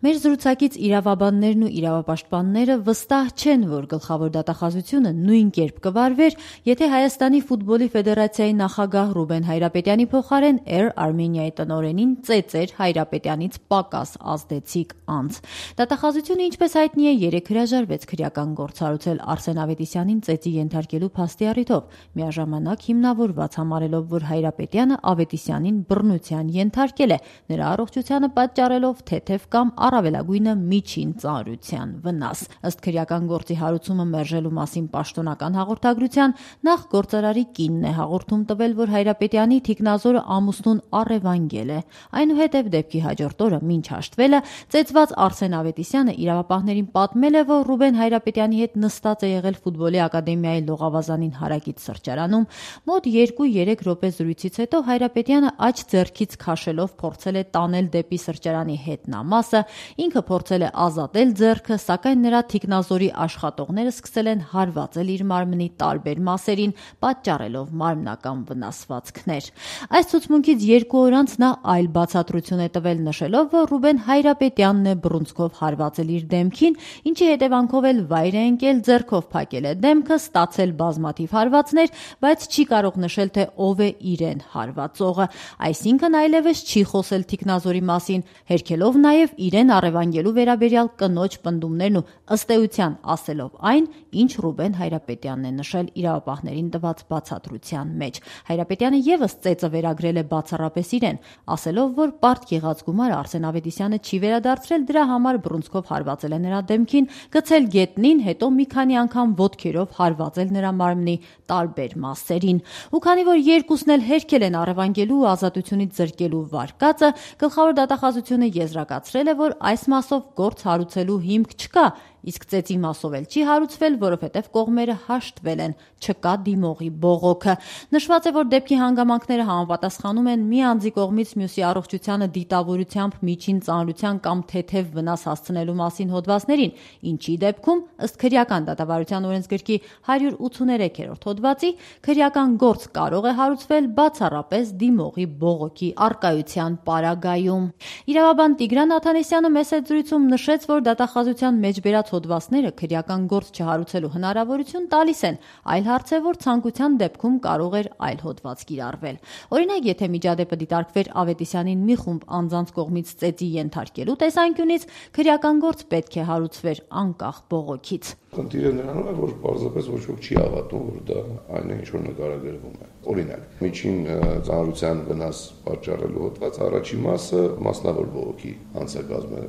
Մեր զրուցակից իրավաբաններն ու իրավապաշտպանները վստահ չեն, որ գլխավոր դատախազությունը նույն կերպ կվարվեր, եթե Հայաստանի ֆուտբոլի ֆեդերացիայի նախագահ Ռուբեն Հայրապետյանի փոխարեն Air Armenia-ի տնօրենին ծեծեր Հայրապետյանից պակաս ազդեցիկ անձ։ Դատախազությունը, ինչպես հայտնի է, 3 հրաժարվեց քրեական գործ հարուցել Արսեն Ավետիսյանին ծեծի ենթարկելու փաստի առիթով, միաժամանակ հիմնավորված համարելով, որ Հայրապետյանը Ավետիսյանին բռնության ենթարկել է, նրա առողջությանը պատճառելով թեթև կամ առավելագույնը միջին ծանրության վնաս։ Ըստ քրեական գործի հարուցումը մերժելու մասին պաշտոնական հաղորդագրության, նախ գործարարի կինն է հաղորդում տվել, որ Հայրապետյանի թիկնազորը ամուսնուն առևանգել է։ Այնուհետև դեպքի հաջորդ օրը, մինչ հաշտվելը, ծեծված Արսեն Ավետիսյանը իրավապահներին պատմել է, որ Ռուբեն Հայրապետյանի հետ նստած է եղել ֆուտբոլի ակադեմիայի Լողավազանին հարակից սրճարանում, մոտ 2-3 րոպե զրույցից հետո Հայրապետյանը աջ ձեռքից քաշելով փորձել է տանել դեպի սրճարանի հետնամասը, ինքը փորձել է ազատել ձեռքը, սակայն նրա թիկնազորի աշխատողները սկսել են հարվածել իր մարմնի տարբեր մասերին, պատճառելով մարմնական վնասվածքներ։ Այս ցուցմունքից 2 օր անց նա այլ բացատրություն է տվել, նշելով, որ Ռուբեն Հայրապետյանն է բռունցքով հարվածել իր դեմքին, ինչի հետևանքով էլ վայր է ընկել, ձեռքով փակել է դեմքը, ստացել բազմաթիվ հարվածներ, բայց չի կարող նշել, թե ով է իրեն հարվածողը, այսինքն այլևս չի խոսել թիկնազորի մասին, հերքելով նաև իրեն առևանգելու վերաբերյալ կնոջ պնդումներն ու ըստ էության ասելով այն, ինչ Ռուբեն Հայրապետյանն է նշել իրավապահներին տված բացատրության մեջ։ Հայրապետյանը ևս ծեծը վերագրել է բացառապես իրեն, ասելով, որ պարտք եղած գումարը Արսեն Ավետիսյանը չի վերադարձրել, դրա համար բռունցքով հարվածել է նրա դեմքին, գցել գետնին, հետո մի քանի անգամ ոտքերով հարվածել նրա մարմնի տարբեր մասերին։ Ու քանի որ երկուսն էլ հերքել են առևանգելու ու ազատությունից զրկելու վարկածը, գլխավոր դատախազությունը եզրակացրել է, որ այս մասով գործ հարուցելու հիմք չկա, իսկ ծեծի մասով էլ չի հարուցվել, որովհետև կողմերը հաշտվել են, չկա դիմողի բողոքը։ Նշված է, որ դեպքի հանգամանքները համապատասխանում են մի անձի կողմից մյուսի առողջությանը դիտավորությամբ միջին ծանրության կամ թեթև վնաս հասցնելու մասին հոդվածներին, ինչի դեպքում, ըստ քրեական դատավարության օրենսգրքի 183-րդ հոդվածի, քրեական գործ կարող է հարուցվել բացառապես դիմողի բողոքի առկայության պարագայում։ Իրավաբան Տիգրան Աթանեսյանը մեծ զրույցում նշեց, որ դատախազության մեջ բերած հոդվածները քրեական գործ չհարուցելու հնարավորություն տալիս են, այլ հարց է, որ ցանկության դեպքում կարող էր այլ հոդված կիրառվել։ Օրինակ, եթե միջադեպը դիտարկվեր Ավետիսյանին մի խումբ անձանց կողմից ծեծի ենթարկելու տեսանկյունից, քրեական գործ պետք է հարուցվեր անկախ բողոքից։ Խնդիրը նրանում է, որ պարզապես ոչ ոք չի հավատում, որ դա այն է, ինչ որ նկարագրվում է։ Օրինակ, միջին ծանրության վնաս պատճառելու հոդված առաջի մասը մասնավոր բողոքի անցակազմը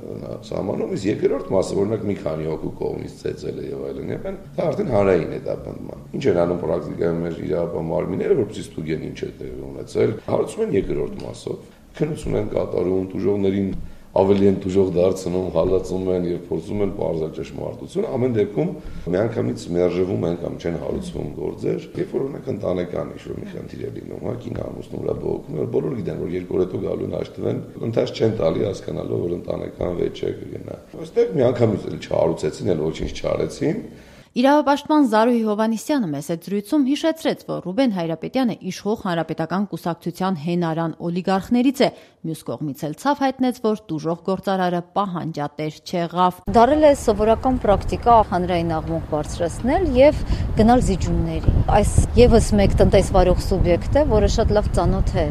սահմանում, իսկ երկրորդ մասը, օրինակ, մի քանի հոգու կողմից ծեծել է եւ այլն, դա արդեն հանրային է դա բնդման։ Ինչ են անում պրակտիկայում մեր իրավապահ մարմինները, որպեսզի ստուգեն ինչ է տեղի ունեցել, հարուցում են երկրորդ մասով, քննություն են կատարում, տուժողներին ավելի են տուժող դարձնում, հալածում են եւ փորձում են բարձր ճշմարտություն, ամեն դեպքում միանգամից մերժվում են կամ չեն հարուցվում գործեր, երբ որ օրինակ ընտանեկան ինչ-որ մի խնդիր է լինում, կին ամուսնու վրա բողոքում, բոլորը գիտեն, որ 2 օր հետո գալու են հաշտվեն, ընդհանրապես չեն տալի հասկանալով, որ ընտանեկան վեճ է կգնա։ Այստեղ միանգամից էլ չհարուցեցին, էլ ոչինչ չարեցին։ Իրավապաշտպան Զարուհի Հովհաննիսյանը մեծ զրույցում հիշեցրեց, որ Ռուբեն Հայրապետյանը իշխող հանրապետական կուսակցության հենարան օլիգարխներից է, մյուս կողմից էլ ցավ հայտնեց, որ տուժող գործարարը պահանջատեր չեղավ։ Դարել է սովորական պրակտիկա հանրային աղմուկ բարձրացնել եւ գնալ զիջումների։ Այս եւս մեկ տնտեսվարող սուբյեկտ է, որը շատ լավ ծանոթ է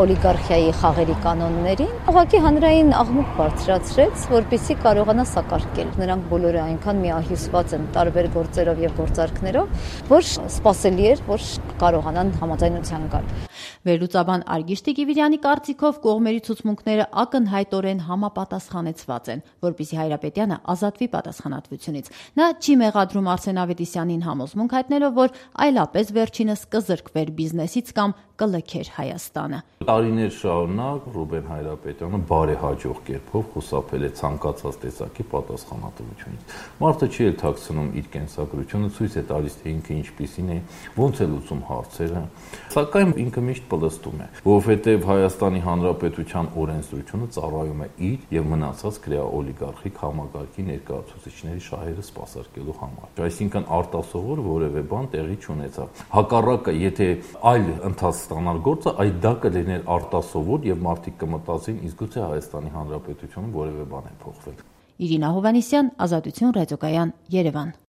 օլիգարխիայի խաղերի կանոններին, ուղղակի հանրային աղմուկ բարձրացրեց, որպեսզի կարողանա սակարկել։ Նրանք բոլորը այնքան միահյուսված են տարբեր գործերով եւ գործարքներով, որ սպասելի էր, որ կարողանան համաձայնության գալ։ Վերլուծաբան Արգիշ Տիկիվիրյանի կարծիքով կողմերի ցուցմունքները ակնհայտորեն համապատասխանեցված են, որպեսզի Հայրապետյանը ազատվի պատասխանատվությունից։ Նա չի մեղադրում Արսեն Ավետիսյանին համոզմունք հայտնելով, որ այլապես վերջինս կզրկվեր բիզնեսից կամ կլքեր Հայաստանը։ Տարիներ շարունակ Ռուբեն Հայրապետյանը բարեհաջող կերպով խուսափել է ցանկացած տեսակի պատասխանատվությունից։ Մարդը չի էլ թաքցնում իր կենսագրությունը, ցույց է տալիս, թե ինքը ինչպիսին է, ոնց է լուծում հարցերը։ Սակայն ինքը միշտ պլստում է, որովհետև Հայաստանի Հանրապետության օրենսդրությունը ծառայում է իր եւ մնացած կրեաօլիգարխիկ համագարկի ներկայացուցիչների շահերը սպասարկելու համար։ Այսինքն արտասովոր որևէ բան տեղի չունեցավ։ Հակառակը, եթե այլ ընթաց ստանալ գործը, այդ դա կլիներ արտասովոր եւ մարդիկ կմտածեին, իսկ գուցե Հայաստանի Հանրապետությունում որևէ բան է փոխվել։ Իրինա Հովհաննիսյան, Ազատություն ռադիոկայան, Երևան։